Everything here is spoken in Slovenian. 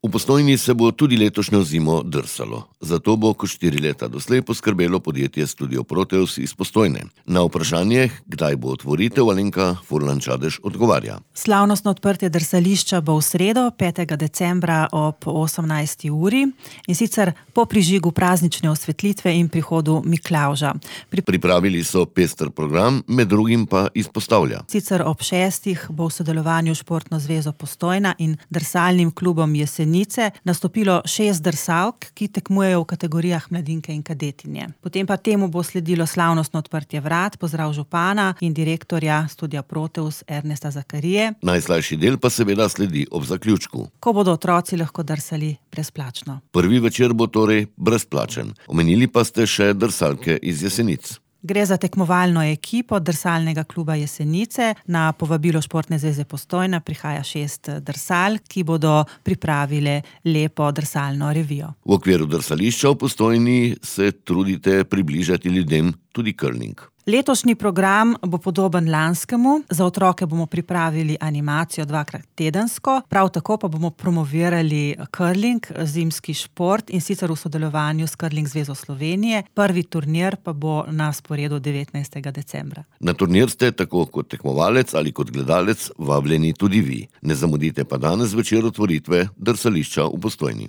V Postojni se bo tudi letošnjo zimo drsalo. Zato bo kot 4 leta doslej poskrbelo podjetje Studio Proteus iz Postojne. Na vprašanje, kdaj bo otvoritev, Alenka Furlan-Čadež odgovarja. Slavnostno odprtje drsališča bo v sredo, 5. decembra ob 18. uri, in sicer po prižigu praznične osvetlitve in prihodu Miklavža. Pripravili so pester program, med drugim pa izpostavlja. Sicer ob 6. bo v sodelovanju s Športno zvezo Postojna in drsalnim klubom Jesenice nastopilo 6 drsalk, ki tekmujejo v kategorijah mladinke in kadetinje. Potem pa temu bo sledilo slavnostno odprtje vrat, pozdrav župana in direktorja Studia Proteus Ernesta Zakarije. Najslajši del pa seveda sledi ob zaključku, ko bodo otroci lahko drsali brezplačno. Prvi večer bo torej brezplačen. Omenili pa ste še drsalke iz Jesenic. Gre za tekmovalno ekipo drsalnega kluba Jesenice. Na povabilo Športne zveze Postojna prihaja 6 drsalk, ki bodo pripravile lepo drsalno revijo. V okviru drsališča v Postojni se trudite približati ljudem tudi curling. Letošnji program bo podoben lanskemu. Za otroke bomo pripravili animacijo 2-krat tedensko, prav tako pa bomo promovirali curling, zimski šport, in sicer v sodelovanju s Curling zvezo Slovenije. Prvi turnir pa bo na sporedu 19. decembra. Na turnir ste tako kot tekmovalec ali kot gledalec vabljeni tudi vi. Ne zamudite pa danes zvečer otvoritve drsališča v Postojni.